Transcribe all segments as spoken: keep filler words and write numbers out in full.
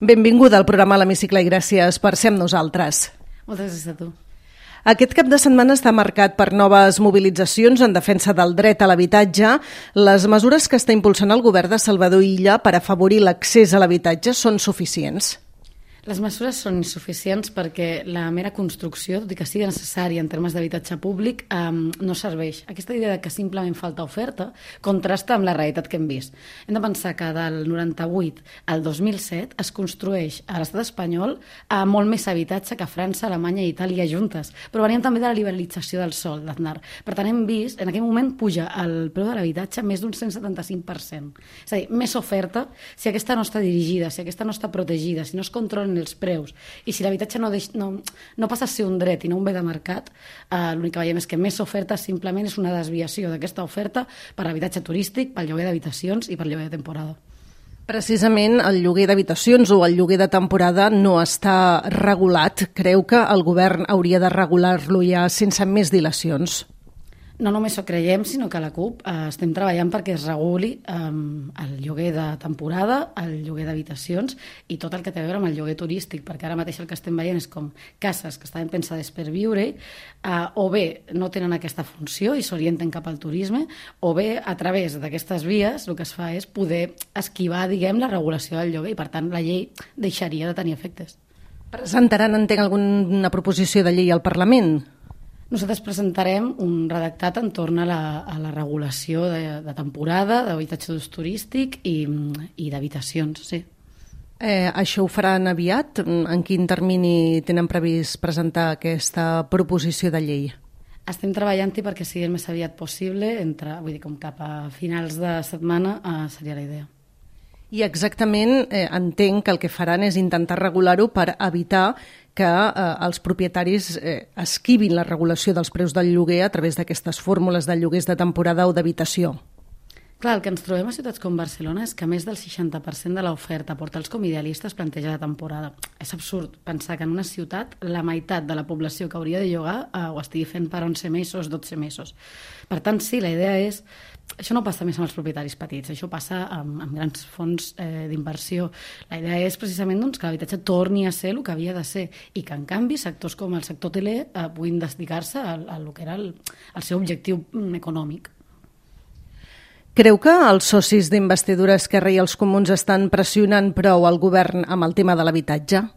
Benvinguda al programa a l'Hemicicle i gràcies per ser amb nosaltres. Moltes gràcies a tu. Aquest cap de setmana està marcat per noves mobilitzacions en defensa del dret a l'habitatge. Les mesures que està impulsant el govern de Salvador Illa per afavorir l'accés a l'habitatge són suficients? Les mesures són insuficients perquè la mera construcció, tot i que sigui necessària en termes d'habitatge públic, eh, no serveix. Aquesta idea de que simplement falta oferta contrasta amb la realitat que hem vist. Hem de pensar que del noranta-vuit al dos mil set es construeix a l'estat espanyol eh, molt més habitatge que a França, Alemanya i Itàlia juntes, però veníem també de la liberalització del sòl, d'Aznar. Per tant, hem vist, en aquell moment puja el preu de l'habitatge més d'un cent setanta-cinc per cent. És a dir, més oferta, si aquesta no està dirigida, si aquesta no està protegida, si no es controlen els preus i si l'habitatge no, deix, no, no passa a ser un dret i no un bé de mercat, eh, l'únic que veiem és que més oferta simplement és una desviació d'aquesta oferta per habitatge turístic, pel lloguer d'habitacions i per lloguer de temporada. Precisament el lloguer d'habitacions o el lloguer de temporada no està regulat. Creu que el govern hauria de regular-lo ja sense més dilacions? No només ho creiem, sinó que a la CUP eh, estem treballant perquè es reguli eh, el lloguer de temporada, el lloguer d'habitacions i tot el que té a veure amb el lloguer turístic, perquè ara mateix el que estem veient és com cases que estaven pensades per viure eh, o bé no tenen aquesta funció i s'orienten cap al turisme, o bé a través d'aquestes vies el que es fa és poder esquivar, diguem, la regulació del lloguer i per tant la llei deixaria de tenir efectes. Presentaran, entenc, alguna proposició de llei al Parlament? Nosaltres presentarem un redactat entorn a la, a la regulació de, de temporada, d'habitatge d'ús turístic i, i d'habitacions, sí. Eh, això ho faran aviat? En quin termini tenen previst presentar aquesta proposició de llei? Estem treballant-hi perquè sigui el més aviat possible, entre, vull dir, com cap a finals de setmana eh, seria la idea. I exactament eh, entenc que el que faran és intentar regular-ho per evitar que eh, els propietaris eh, esquivin la regulació dels preus del lloguer a través d'aquestes fórmules de lloguers de temporada o d'habitació. Clar, el que ens trobem a ciutats com Barcelona és que més del seixanta per cent de l'oferta a portals com Idealistes planteja de temporada. És absurd pensar que en una ciutat la meitat de la població que hauria de llogar eh, ho estigui fent per onze mesos, dotze mesos. Per tant, sí, la idea és... Això no passa més amb els propietaris petits, això passa amb, amb grans fons eh, d'inversió. La idea és precisament doncs, que l'habitatge torni a ser el que havia de ser i que, en canvi, sectors com el sector hoteler eh, puguin dedicar-se a, a lo que era el, el seu objectiu econòmic. Creu que els socis d'investidura Esquerra i els Comuns estan pressionant prou el govern amb el tema de l'habitatge?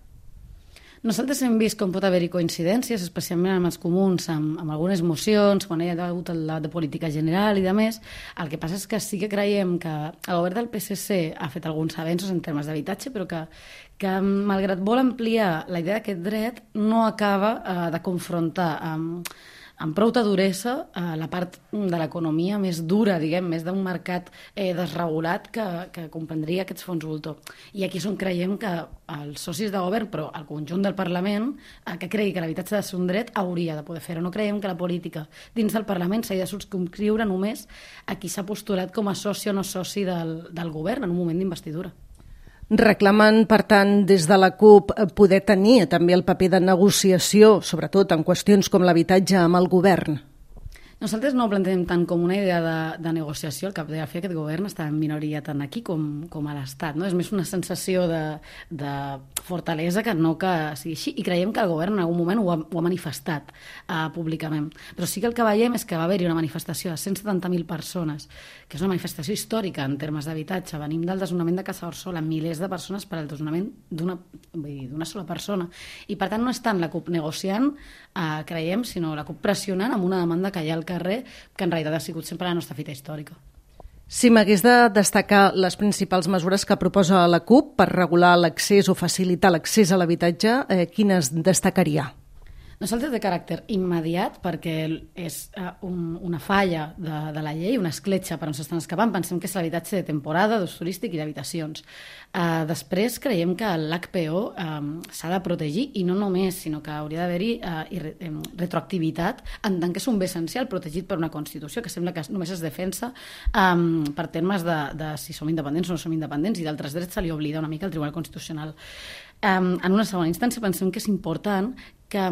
Nosaltres hem vist com pot haver-hi coincidències, especialment amb els comuns, amb, amb algunes mocions, quan hi ha hagut el debat de política general i de més. El que passa és que sí que creiem que el govern del P S C ha fet alguns avenços en termes d'habitatge, però que, que malgrat vol ampliar la idea d'aquest dret, no acaba eh, de confrontar amb... amb prou duresa eh, la part de l'economia més dura, diguem, més d'un mercat eh, desregulat que, que comprendria aquests fons voltor. I aquí és on creiem que els socis de govern, però el conjunt del Parlament, eh, que cregui que l'habitatge ha de ser un dret, hauria de poder fer-ho. No creiem que la política dins del Parlament s'hagi de subscriure només a qui s'ha postulat com a soci o no soci del, del govern en un moment d'investidura. Reclamen, per tant, des de la CUP poder tenir també el paper de negociació, sobretot en qüestions com l'habitatge, amb el govern. Nosaltres no ho plantegem tant com una idea de, de negociació. El cap de la fi aquest govern està en minoria tant aquí com, com a l'Estat. No? És més una sensació de, de fortalesa que no que sigui així. I creiem que el govern en algun moment ho ha, ho ha manifestat uh, públicament. Però sí que el que veiem és que va haver-hi una manifestació de cent setanta mil persones, que és una manifestació històrica en termes d'habitatge. Venim del desnonament de Casa Orsola, milers de persones per al desnonament d'una d'una sola persona. I per tant no és tant la CUP negociant, uh, creiem, sinó la CUP pressionant amb una demanda que hi ha al carrer, que en realitat ha sigut sempre la nostra fita històrica. Si m'hagués de destacar les principals mesures que proposa la CUP per regular l'accés o facilitar l'accés a l'habitatge, eh, quines destacaria? Nosaltres de caràcter immediat, perquè és uh, un, una falla de, de la llei, una escletxa per on s'estan escapant, pensem que és l'habitatge de temporada, d'ús turístic i d'habitacions. Uh, després creiem que l'H P O um, s'ha de protegir, i no només, sinó que hauria d'haver-hi uh, re, um, retroactivitat, en tant que és un bé essencial protegit per una Constitució, que sembla que només es defensa um, per termes de, de si som independents o no som independents, i d'altres drets se li oblida una mica al Tribunal Constitucional. Um, en una segona instància pensem que és important que,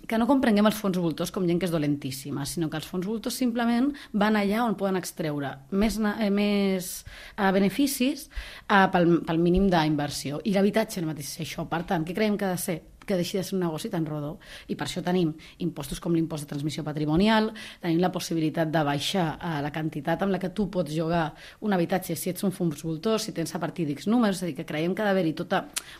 que no comprenguem els fons voltors com gent que és dolentíssima, sinó que els fons voltors simplement van allà on poden extreure més, eh, més eh, beneficis eh, pel, pel mínim d'inversió. I l'habitatge no mateix és això. Per tant, què creiem que ha de ser? Que deixi de ser un negoci tan rodó. I per això tenim impostos com l'impost de transmissió patrimonial, tenim la possibilitat de baixar eh, la quantitat amb la que tu pots llogar un habitatge si ets un fons voltor, si tens a partir d'X números, és a dir, que creiem que ha d'haver-hi tota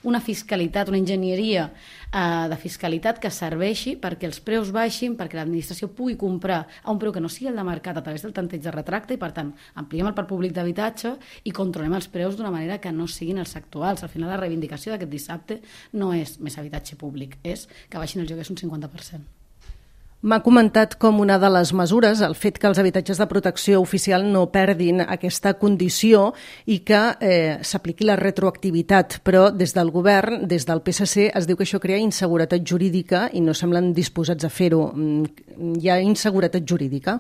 una fiscalitat, una enginyeria eh, de fiscalitat que serveixi perquè els preus baixin, perquè l'administració pugui comprar a un preu que no sigui el de mercat a través del tanteig de retracte i, per tant, ampliem el parc públic d'habitatge i controlem els preus d'una manera que no siguin els actuals. Al final, la reivindicació d'aquest dissabte no és més habitatge públic, és que baixin els lloguers un cinquanta per cent. M'ha comentat com una de les mesures el fet que els habitatges de protecció oficial no perdin aquesta condició i que eh, s'apliqui la retroactivitat, però des del govern, des del P S C, es diu que això crea inseguretat jurídica i no semblen disposats a fer-ho. Hi ha inseguretat jurídica?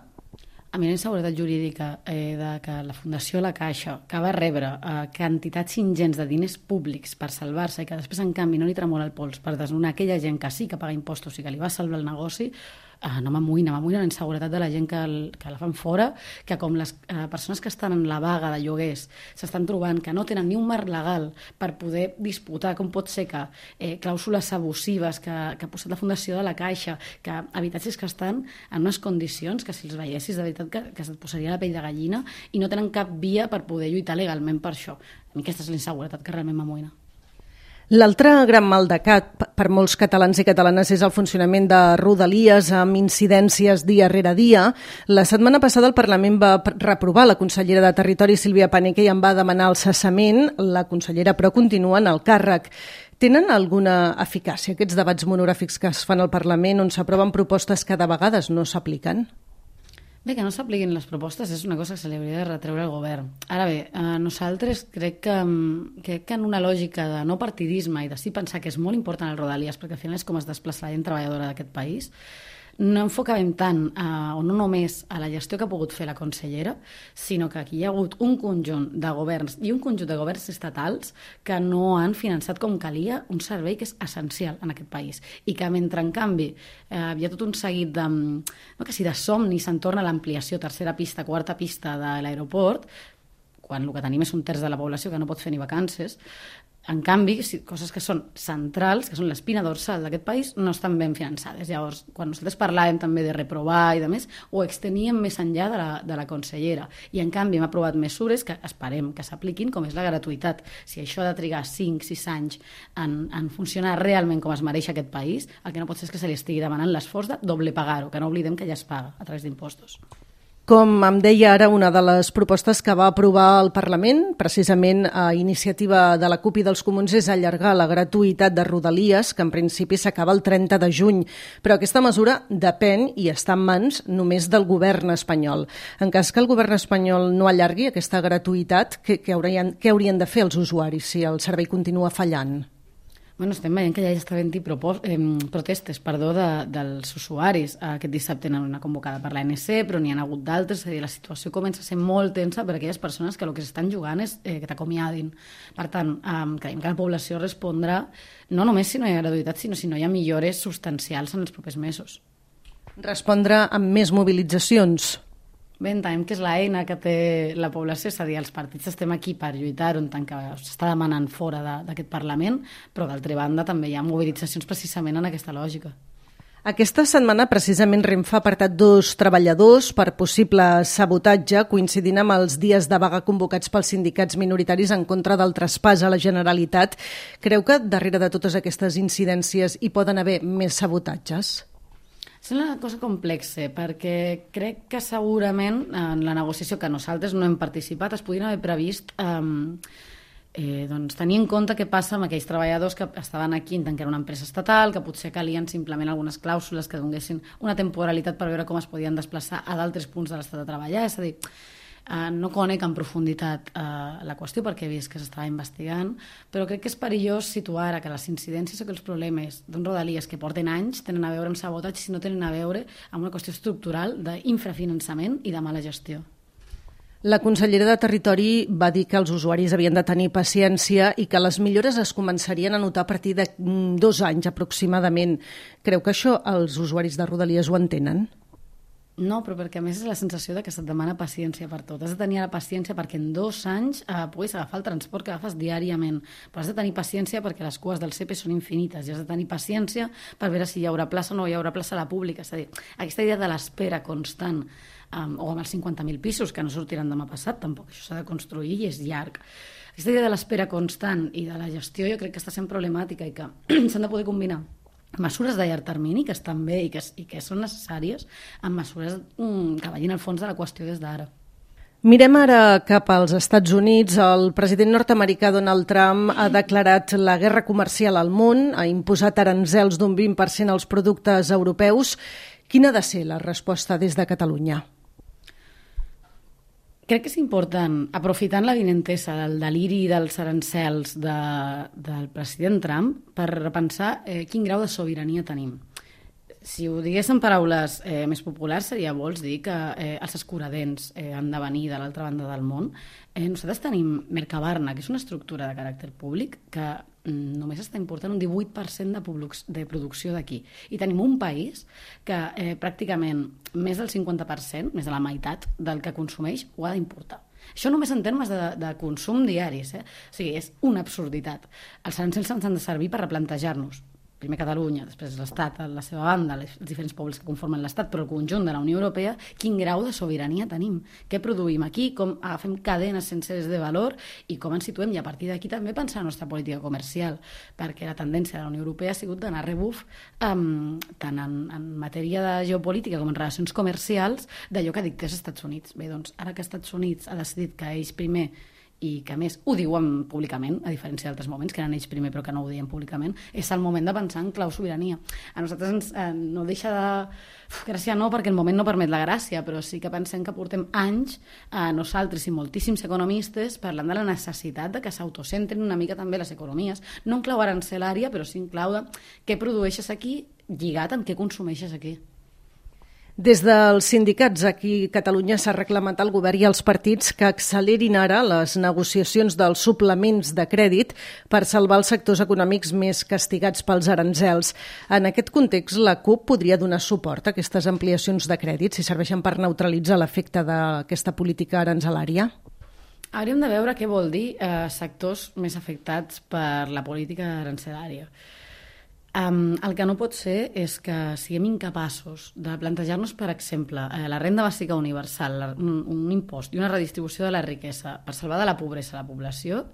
A mi la inseguretat jurídica eh, de que la Fundació La Caixa, que va rebre eh, quantitats ingents de diners públics per salvar-se i que després, en canvi, no li tremola el pols per desnonar aquella gent que sí que paga impostos i que li va salvar el negoci, eh, no m'amoïna, m'amoïna la inseguretat de la gent que, el, que la fan fora, que com les eh, persones que estan en la vaga de lloguers s'estan trobant que no tenen ni un marc legal per poder disputar com pot ser que eh, clàusules abusives que, que ha posat la Fundació de La Caixa, que habitatges que estan en unes condicions que si els veiessis de veritat que, que se't posaria la pell de gallina i no tenen cap via per poder lluitar legalment per això. A mi aquesta és la inseguretat que realment m'amoïna. L'altre gran mal de cap per molts catalans i catalanes és el funcionament de Rodalies amb incidències dia rere dia. La setmana passada el Parlament va reprovar la consellera de Territori, Sílvia Paneque, i en va demanar el cessament. La consellera, però, continua en el càrrec. Tenen alguna eficàcia aquests debats monogràfics que es fan al Parlament on s'aproven propostes que de vegades no s'apliquen? Bé, que no s'apliquin les propostes és una cosa que se li hauria de retreure al govern. Ara bé, eh, nosaltres crec que, crec que en una lògica de no partidisme i de sí pensar que és molt important el Rodalies, perquè al final és com es desplaça la gent treballadora d'aquest país, no enfocàvem tant, eh, o no només a la gestió que ha pogut fer la consellera, sinó que aquí hi ha hagut un conjunt de governs i un conjunt de governs estatals que no han finançat com calia un servei que és essencial en aquest país i que mentre, en canvi, eh, hi ha tot un seguit de, no, que si de somnis s'entorna a l'ampliació, tercera pista, quarta pista de l'aeroport, quan el que tenim és un terç de la població que no pot fer ni vacances. En canvi, coses que són centrals, que són l'espina dorsal d'aquest país, no estan ben finançades. Llavors, quan nosaltres parlàvem també de reprovar i de més, ho exteníem més enllà de la, de la consellera. I, en canvi, hem aprovat mesures que esperem que s'apliquin, com és la gratuïtat. Si això ha de trigar cinc sis anys en, en funcionar realment com es mereix aquest país, el que no pot ser és que se li estigui demanant l'esforç de doble pagar-ho, que no oblidem que ja es paga a través d'impostos. Com em deia ara, una de les propostes que va aprovar el Parlament, precisament a iniciativa de la CUP i dels Comuns, és allargar la gratuïtat de Rodalies, que en principi s'acaba el trenta de juny. Però aquesta mesura depèn i està en mans només del govern espanyol. En cas que el govern espanyol no allargui aquesta gratuïtat, què, què, haurien, què haurien de fer els usuaris si el servei continua fallant? Bueno, estem veient que ja està havent-hi eh, protestes perdó, de, dels usuaris. Aquest dissabte n'hi ha una convocada per l'A N C, però n'hi ha hagut d'altres. És a dir, la situació comença a ser molt tensa per a aquelles persones que el que s'estan jugant és eh, que t'acomiadin. Per tant, eh, creiem que la població respondrà no només si no hi ha gratuïtat, sinó si no hi ha millores substancials en els propers mesos. Respondre amb més mobilitzacions? Bé, entenem que és l'eina que té la població, és a dir, els partits estem aquí per lluitar, on tant que s'està demanant fora d'aquest Parlament, però d'altra banda també hi ha mobilitzacions precisament en aquesta lògica. Aquesta setmana precisament Renfe ha apartat dos treballadors per possible sabotatge, coincidint amb els dies de vaga convocats pels sindicats minoritaris en contra del traspàs a la Generalitat. Creu que darrere de totes aquestes incidències hi poden haver més sabotatges? És una cosa complexa, perquè crec que segurament en la negociació que nosaltres no hem participat es podien haver previst eh, eh, doncs, tenir en compte què passa amb aquells treballadors que estaven aquí en tant que era una empresa estatal, que potser calien simplement algunes clàusules que donguessin una temporalitat per veure com es podien desplaçar a d'altres punts de l'estat de treballar. És a dir, Uh, no conec en profunditat uh, la qüestió perquè he vist que s'estava investigant, però crec que és perillós situar ara que les incidències o que els problemes d'un Rodalies que porten anys tenen a veure amb sabotatge, si no tenen a veure amb una qüestió estructural d'infrafinançament i de mala gestió. La consellera de Territori va dir que els usuaris havien de tenir paciència i que les millores es començarien a notar a partir de dos anys aproximadament. Creu que això els usuaris de Rodalies ho entenen? No, però perquè a més és la sensació de que se't demana paciència per tot. Has de tenir la paciència perquè en dos anys eh, puguis agafar el transport que agafes diàriament. Però has de tenir paciència perquè les cues del C E P són infinites i has de tenir paciència per veure si hi haurà plaça o no hi haurà plaça a la pública. És a dir, aquesta idea de l'espera constant, um, o amb els cinquanta mil pisos, que no sortiran demà passat, tampoc. Això s'ha de construir i és llarg. Aquesta idea de l'espera constant i de la gestió jo crec que està sent problemàtica i que s'han de poder combinar mesures de llarg termini que estan bé i que, i que són necessàries amb mesures mm, que vagin al fons de la qüestió des d'ara. Mirem ara cap als Estats Units. El president nord-americà Donald Trump ha declarat la guerra comercial al món, ha imposat aranzels d'un vint per cent als productes europeus. Quina ha de ser la resposta des de Catalunya? Crec que és important, aprofitant la vinentesa del deliri dels arancels de, del president Trump, per repensar eh, quin grau de sobirania tenim. Si ho digués en paraules eh, més populars, seria, vols dir que eh, els escuradents eh, han de venir de l'altra banda del món. Eh, nosaltres tenim Mercabarna, que és una estructura de caràcter públic que mm, només està important un divuit per cent de, de producció d'aquí. I tenim un país que eh, pràcticament més del cinquanta per cent, més de la meitat del que consumeix, ho ha d'importar. Això només en termes de, de consum diaris. Eh? O sigui, és una absurditat. Els arancels ens han de servir per replantejar-nos. Primer Catalunya, després l'Estat, a la seva banda, els diferents pobles que conformen l'Estat, però el conjunt de la Unió Europea, quin grau de sobirania tenim? Què produïm aquí? Com agafem cadenes senceres de valor i com ens situem? I a partir d'aquí també pensar en la nostra política comercial, perquè la tendència de la Unió Europea ha sigut d'anar a rebuf um, tant en, en matèria de geopolítica com en relacions comercials d'allò que dictés als Estats Units. Bé, doncs, ara que els Estats Units ha decidit que ells primer i que a més ho diuen públicament, a diferència d'altres moments, que eren ells primer però que no ho diuen públicament, és el moment de pensar en clau sobirania. A nosaltres ens, eh, no deixa de... Uf, gràcia no, perquè el moment no permet la gràcia, però sí que pensem que portem anys, eh, nosaltres i moltíssims economistes, parlant de la necessitat de que s'autocentren una mica també les economies, no en clau arancelària, però sí en clau de què produeixes aquí lligat amb què consumeixes aquí. Des dels sindicats aquí a Catalunya s'ha reclamat al govern i als partits que accelerin ara les negociacions dels suplements de crèdit per salvar els sectors econòmics més castigats pels aranzels. En aquest context, la CUP podria donar suport a aquestes ampliacions de crèdit si serveixen per neutralitzar l'efecte d'aquesta política aranzelària? Hauríem de veure què vol dir eh, sectors més afectats per la política arancelària. Um, el que no pot ser és que siguem incapaços de plantejar-nos, per exemple, eh, la renda bàsica universal, la, un, un impost i una redistribució de la riquesa per salvar de la pobresa a la població,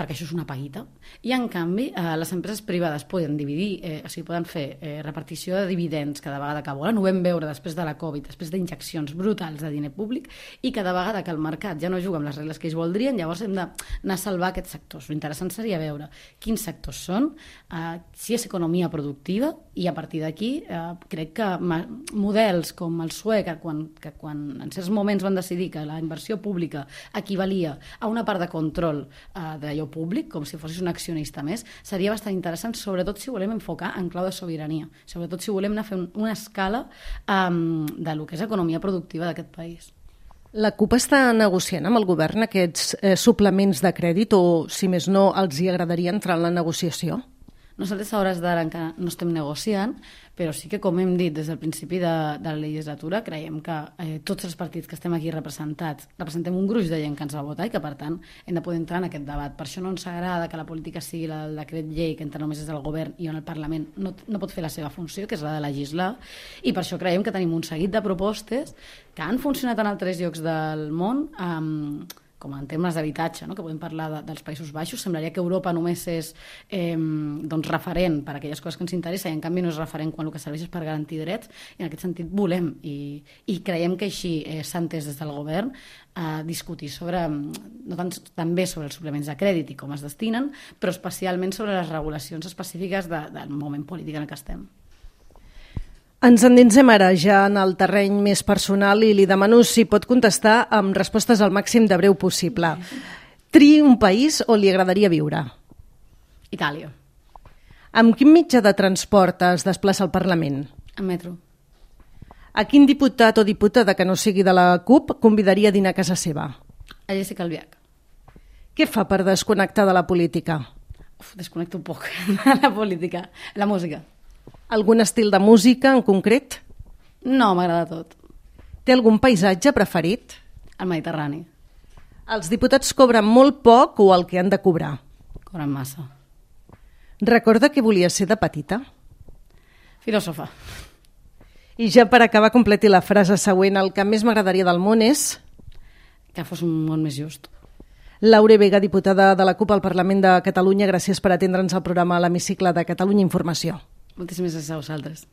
perquè això és una paguita. I, en canvi, eh, les empreses privades poden dividir, eh, o sigui, poden fer eh, repartició de dividends cada vegada que volen. Ho vam veure després de la Covid, després d'injeccions brutals de diner públic, i cada vegada que el mercat ja no juga amb les regles que ells voldrien, llavors hem d'anar a salvar aquests sectors. L'interessant seria veure quins sectors són, eh, si és economia productiva, i a partir d'aquí eh, crec que models com el suec, que quan, que quan en certs moments van decidir que la inversió pública equivalia a una part de control eh, d'allò públic, com si fossis un accionista més, seria bastant interessant, sobretot si volem enfocar en clau de sobirania, sobretot si volem anar a fer una escala um, de lo que és economia productiva d'aquest país. La CUP està negociant amb el govern aquests eh, suplements de crèdit o, si més no, els hi agradaria entrar en la negociació? Nosaltres a hores d'ara encara no estem negociant, però sí que, com hem dit des del principi de, de la legislatura, creiem que eh, tots els partits que estem aquí representats representem un gruix de gent que ens va votar i que, per tant, hem de poder entrar en aquest debat. Per això no ens agrada que la política sigui el decret llei, que entra només des del govern i on el Parlament no, no pot fer la seva funció, que és la de legislar, i per això creiem que tenim un seguit de propostes que han funcionat en altres llocs del món, amb com en termes d'habitatge, no? Que podem parlar de, dels Països Baixos. Semblaria que Europa només és eh, doncs referent per a aquelles coses que ens interessa i en canvi no és referent quan el que serveix és per garantir drets, i en aquest sentit volem i, i creiem que així eh, s'ha entès des del govern a eh, discutir sobre, no tant, també sobre els suplements de crèdit i com es destinen, però especialment sobre les regulacions específiques de, del moment polític en el que estem. Ens endinsem ara ja en el terreny més personal i li demano si pot contestar amb respostes al màxim de breu possible. Triï un país on li agradaria viure. Itàlia. Amb quin mitjà de transport es desplaça al Parlament? En metro. A quin diputat o diputada que no sigui de la CUP convidaria a dinar a casa seva? A Jessica Albiach. Què fa per desconnectar de la política? Uf, desconnecto un poc de la política. La música. Algun estil de música en concret? No, m'agrada tot. Té algun paisatge preferit? El Mediterrani. Els diputats cobren molt poc o el que han de cobrar? Cobren massa. Recorda que volia ser de petita? Filòsofa. I ja per acabar, completi la frase següent. El que més m'agradaria del món és... Que fos un món més just. Laure Vega, diputada de la CUP al Parlament de Catalunya, gràcies per atendre'ns al programa a l'Hemicicle de Catalunya Informació. Moltíssimes gràcies a vosaltres.